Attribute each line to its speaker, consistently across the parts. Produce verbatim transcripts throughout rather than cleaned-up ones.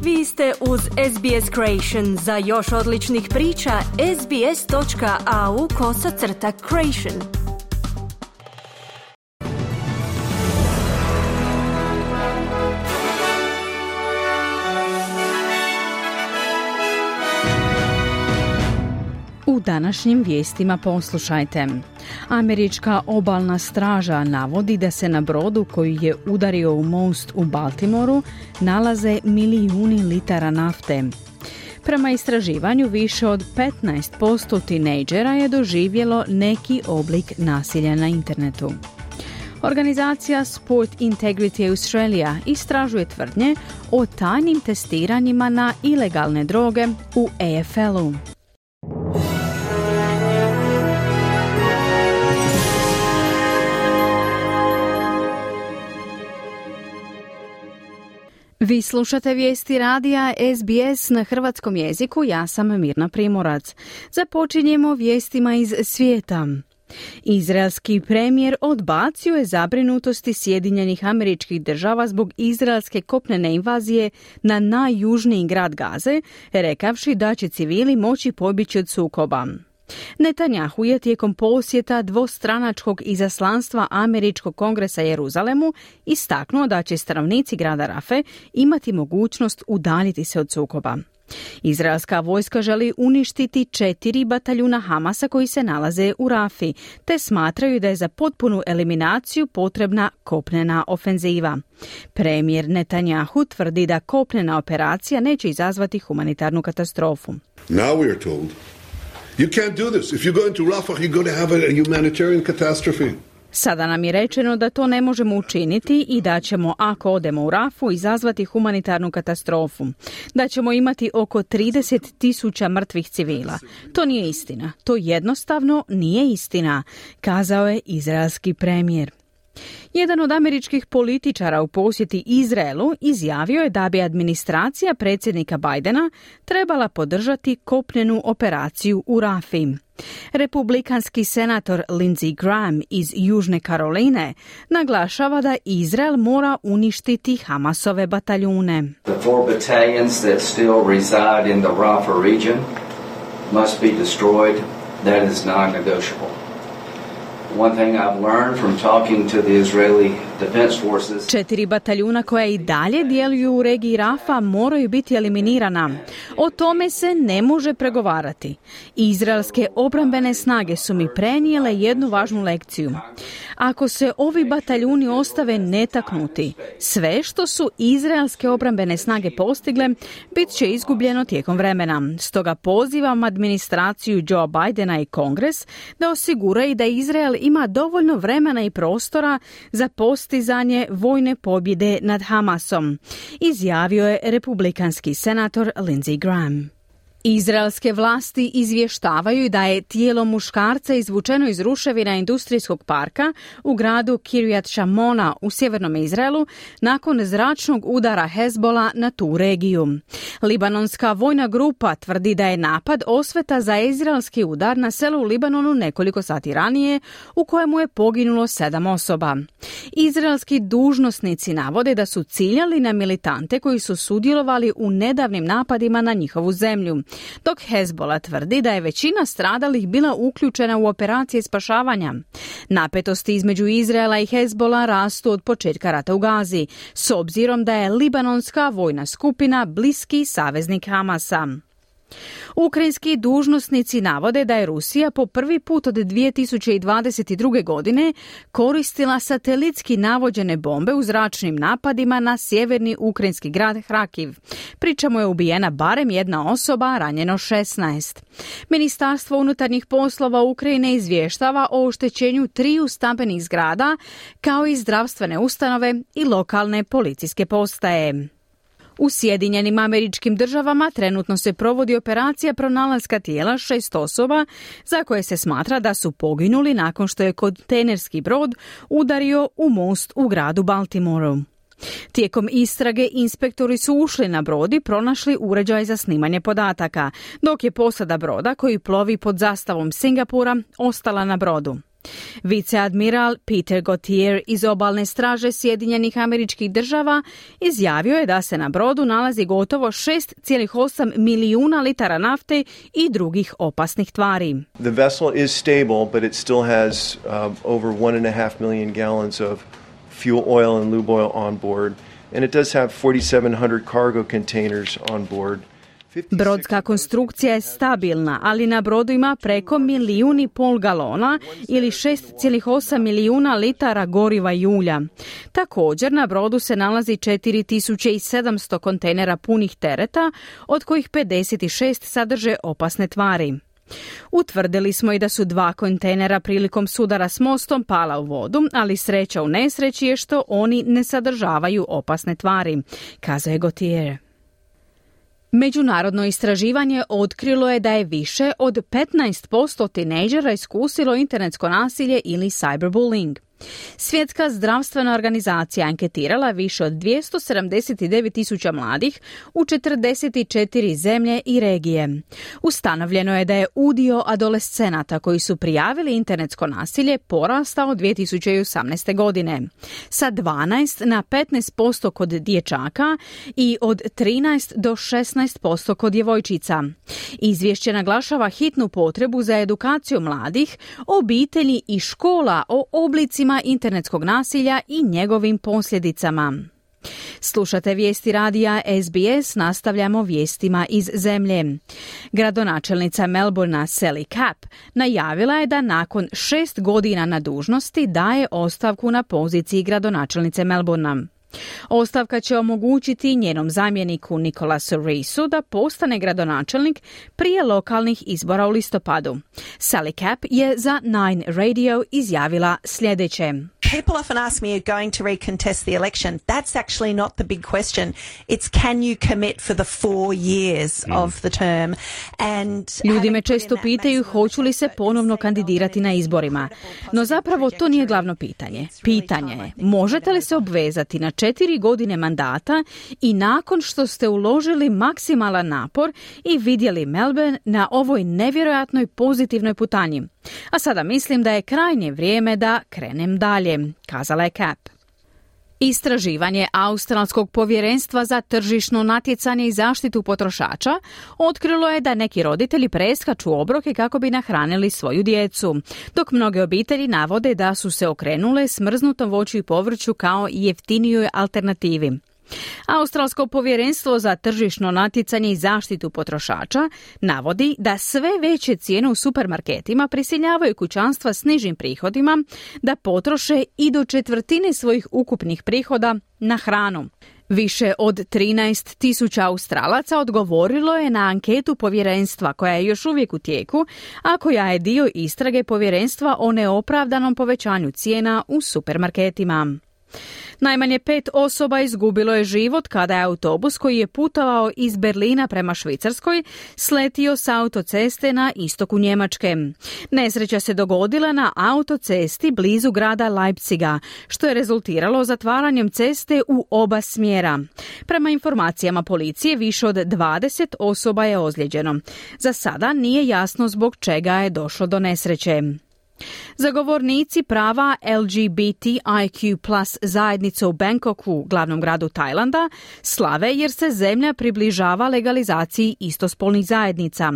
Speaker 1: Vi ste uz S B S Creation. Za još odličnih priča, sbs.au kosacrta creation.
Speaker 2: U današnjim vijestima poslušajte. Američka obalna straža navodi da se na brodu koji je udario u most u Baltimoru nalaze milijuni litara nafte. Prema istraživanju, više od petnaest posto tinejdžera je doživjelo neki oblik nasilja na internetu. Organizacija Sport Integrity Australia istražuje tvrdnje o tajnim testiranjima na ilegalne droge u A F L-u. Vi slušate vijesti radija S B S na hrvatskom jeziku, ja sam Mirna Primorac. Započinjemo vijestima iz svijeta. Izraelski premijer odbacio je zabrinutosti Sjedinjenih Američkih Država zbog izraelske kopnene invazije na najjužniji grad Gaze, rekavši da će civili moći pobjeći od sukoba. Netanjahu je tijekom posjeta dvostranačkog izaslanstva Američkog kongresa Jeruzalemu istaknuo da će stanovnici grada Rafe imati mogućnost udaljiti se od sukoba. Izraelska vojska želi uništiti četiri bataljuna Hamasa koji se nalaze u Rafi, te smatraju da je za potpunu eliminaciju potrebna kopnena ofenziva. Premijer Netanjahu tvrdi da kopnena operacija neće izazvati humanitarnu katastrofu.
Speaker 3: Now we are told you can't do this. If you go into Rafah, you're going to have a humanitarian catastrophe.
Speaker 2: Sada nam je rečeno da to ne možemo učiniti i da ćemo, ako odemo u Rafu, izazvati humanitarnu katastrofu. Da ćemo imati oko trideset tisuća mrtvih civila. To nije istina. To jednostavno nije istina, kazao je izraelski premijer. Jedan od američkih političara u posjeti Izraelu izjavio je da bi administracija predsjednika Bidena trebala podržati kopnenu operaciju u Rafi. Republikanski senator Lindsey Graham iz Južne Karoline naglašava da Izrael mora uništiti Hamasove bataljune.
Speaker 4: The four battalions that still reside in the Rafah region must be destroyed. That is non-negotiable. One thing I've learned from talking to the Israeli Defense Forces.
Speaker 2: Četiri bataljuna koja i dalje djeluju u regiji Rafa moraju biti eliminirana. O tome se ne može pregovarati. Izraelske obrambene snage su mi prenijele jednu važnu lekciju. Ako se ovi bataljuni ostave netaknuti, sve što su izraelske obrambene snage postigle bit će izgubljeno tijekom vremena. Stoga pozivam administraciju Joe Bidena i Kongres da osiguraju da Izrael ima dovoljno vremena i prostora za postizanje vojne pobjede nad Hamasom, izjavio je republikanski senator Lindsey Graham. Izraelske vlasti izvještavaju da je tijelo muškarca izvučeno iz ruševina industrijskog parka u gradu Kiryat Shmona u sjevernom Izraelu nakon zračnog udara Hezbola na tu regiju. Libanonska vojna grupa tvrdi da je napad osveta za izraelski udar na selu u Libanonu nekoliko sati ranije u kojemu je poginulo sedam osoba. Izraelski dužnosnici navode da su ciljali na militante koji su sudjelovali u nedavnim napadima na njihovu zemlju, dok Hezbola tvrdi da je većina stradalih bila uključena u operacije spašavanja. Napetosti između Izraela i Hezbola rastu od početka rata u Gazi, s obzirom da je libanonska vojna skupina bliski saveznik Hamasa. Ukrajinski dužnosnici navode da je Rusija po prvi put od dvije tisuće dvadeset druge. godine koristila satelitski navođene bombe u zračnim napadima na sjeverni ukrajinski grad Hrakiv. Pri čemu je ubijena barem jedna osoba, ranjeno šesnaest. Ministarstvo unutarnjih poslova Ukrajine izvještava o oštećenju triju stambenih zgrada, kao i zdravstvene ustanove i lokalne policijske postaje. U Sjedinjenim Američkim Državama trenutno se provodi operacija pronalaska tijela šest osoba za koje se smatra da su poginuli nakon što je kontejnerski brod udario u most u gradu Baltimoru. Tijekom istrage inspektori su ušli na brod i pronašli uređaj za snimanje podataka, dok je posada broda koji plovi pod zastavom Singapura ostala na brodu. Viceadmiral Peter Gautier iz obalne straže Sjedinjenih Američkih Država izjavio je da se na brodu nalazi gotovo šest zarez osam milijuna litara nafte i drugih opasnih tvari.
Speaker 5: The vessel is stable, but it still has uh, over one and a half million gallons of fuel oil and lube oil on board, and it does have forty-seven hundred cargo containers on board.
Speaker 2: Brodska konstrukcija je stabilna, ali na brodu ima preko milijun i pol galona ili šest zarez osam milijuna litara goriva i ulja. Također na brodu se nalazi četiri tisuće sedamsto kontejnera punih tereta, od kojih pedeset šest sadrže opasne tvari. Utvrdili smo i da su dva kontejnera prilikom sudara s mostom pala u vodu, ali sreća u nesreći je što oni ne sadržavaju opasne tvari, kazao je Gautier. Međunarodno istraživanje otkrilo je da je više od petnaest posto tinejdžera iskusilo internetsko nasilje ili cyberbullying. Svjetska zdravstvena organizacija anketirala više od dvjesto sedamdeset devet tisuća mladih u četrdeset četiri zemlje i regije. Ustanovljeno je da je udio adolescenata koji su prijavili internetsko nasilje porastao dvije tisuće osamnaeste. godine. Sa dvanaest na petnaest posto kod dječaka i od trinaest do šesnaest posto kod djevojčica. Izvješće naglašava hitnu potrebu za edukaciju mladih, obitelji i škola o oblicima internetskog nasilja i njegovim posljedicama. Slušate vijesti radija S B S, nastavljamo vijestima iz zemlje. Gradonačelnica Melbournea Sally Capp najavila je da nakon šest godina na dužnosti daje ostavku na poziciji gradonačelnice Melbournea. Ostavka će omogućiti njenom zamjeniku Nicolasu Reisu da postane gradonačelnik prije lokalnih izbora u listopadu. Sally Capp je za Nine Radio izjavila sljedeće.
Speaker 6: People often ask me, are you going to recontest the election? That's actually not the big question. It's can you commit for the four years mm. of the term? And
Speaker 2: Ljudi me često pitaju hoću li se ponovno kandidirati na izborima. No zapravo to nije glavno pitanje. Pitanje je, možete li se obvezati na četiri godine mandata i nakon što ste uložili maksimalan napor i vidjeli Melbourne na ovoj nevjerojatnoj pozitivnoj putanji. A sada mislim da je krajnje vrijeme da krenem dalje, kazala je Capp. Istraživanje Australskog povjerenstva za tržišno natjecanje i zaštitu potrošača otkrilo je da neki roditelji preskaču obroke kako bi nahranili svoju djecu, dok mnoge obitelji navode da su se okrenule smrznutom voću i povrću kao jeftinijoj alternativi. Australsko povjerenstvo za tržišno natjecanje i zaštitu potrošača navodi da sve veće cijene u supermarketima prisiljavaju kućanstva s nižim prihodima da potroše i do četvrtine svojih ukupnih prihoda na hranu. Više od trinaest tisuća Australaca odgovorilo je na anketu povjerenstva koja je još uvijek u tijeku, a koja je dio istrage povjerenstva o neopravdanom povećanju cijena u supermarketima. Najmanje pet osoba izgubilo je život kada je autobus koji je putovao iz Berlina prema Švicarskoj sletio s autoceste na istoku Njemačke. Nesreća se dogodila na autocesti blizu grada Leipziga, što je rezultiralo zatvaranjem ceste u oba smjera. Prema informacijama policije, više od dvadeset osoba je ozlijeđeno. Za sada nije jasno zbog čega je došlo do nesreće. Zagovornici prava L G B T I Q plus zajednice u Bangkoku, glavnom gradu Tajlanda, slave jer se zemlja približava legalizaciji istospolnih zajednica.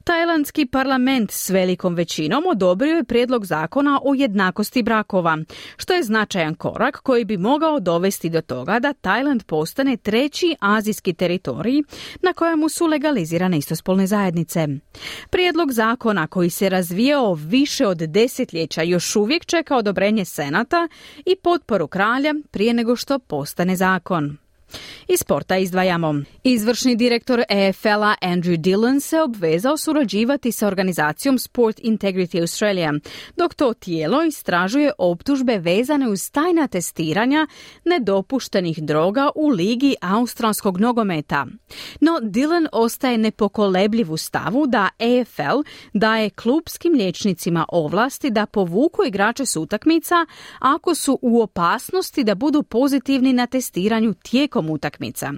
Speaker 2: Tajlandski parlament s velikom većinom odobrio je prijedlog zakona o jednakosti brakova, što je značajan korak koji bi mogao dovesti do toga da Tajland postane treći azijski teritorij na kojemu su legalizirane istospolne zajednice. Prijedlog zakona koji se razvijao više od desetljeća još uvijek čeka odobrenje Senata i potporu kralja prije nego što postane zakon. Iz sporta izdvajamo. Izvršni direktor E F L-a Andrew Dillon se obvezao surađivati sa organizacijom Sport Integrity Australia, dok to tijelo istražuje optužbe vezane uz tajna testiranja nedopuštenih droga u ligi australskog nogometa. No Dillon ostaje nepokolebljiv u stavu da E F L daje klupskim liječnicima ovlasti da povuku igrače s utakmica ako su u opasnosti da budu pozitivni na testiranju tijekom tijekom utakmica.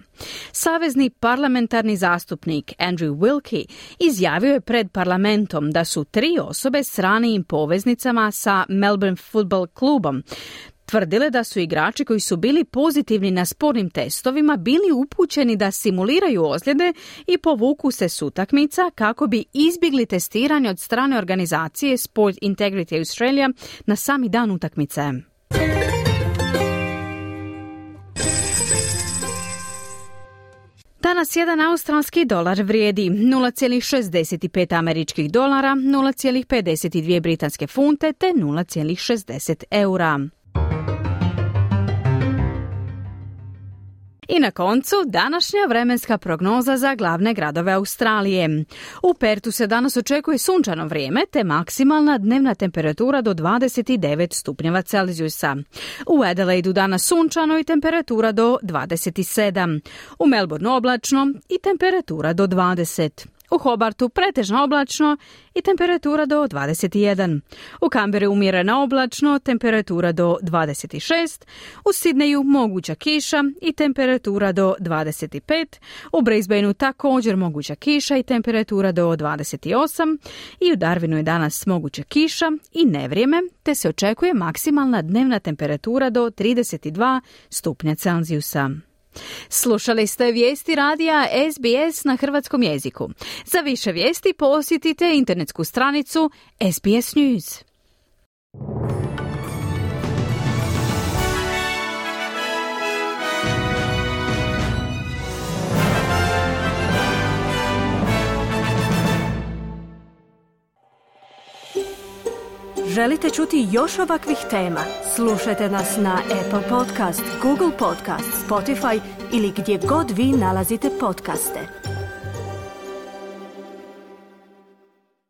Speaker 2: Savezni parlamentarni zastupnik Andrew Wilkie izjavio je pred parlamentom da su tri osobe s ranijim poveznicama sa Melbourne Football klubom tvrdile da su igrači koji su bili pozitivni na spornim testovima bili upućeni da simuliraju ozljede i povuku se s utakmica kako bi izbjegli testiranje od strane organizacije Sport Integrity Australia na sami dan utakmice. Danas jedan australski dolar vrijedi nula zarez šezdeset pet američkih dolara, nula zarez pedeset dvije britanske funte te nula zarez šezdeset eura. I na koncu današnja vremenska prognoza za glavne gradove Australije. U Pertu se danas očekuje sunčano vrijeme te maksimalna dnevna temperatura do dvadeset devet stupnjeva Celzijusa. U Adelaidu danas sunčano i temperatura do dvadeset sedam. U Melbourneu oblačno i temperatura do dvadeset. U Hobartu pretežno oblačno i temperatura do dvadeset jedan. U Canberri umjereno oblačno, temperatura do dvadeset šest. U Sidneju moguća kiša i temperatura do dvadeset pet. U Brisbaneu također moguća kiša i temperatura do dvadeset osam. I u Darwinu je danas moguća kiša i nevrijeme, te se očekuje maksimalna dnevna temperatura do trideset dva stupnja Celzijusa. Slušali ste vijesti radija S B S na hrvatskom jeziku. Za više vijesti posjetite internetsku stranicu S B S News.
Speaker 1: Želite čuti još ovakvih tema? Slušajte nas na Apple Podcast, Google Podcast, Spotify ili gdje god vi nalazite podcaste.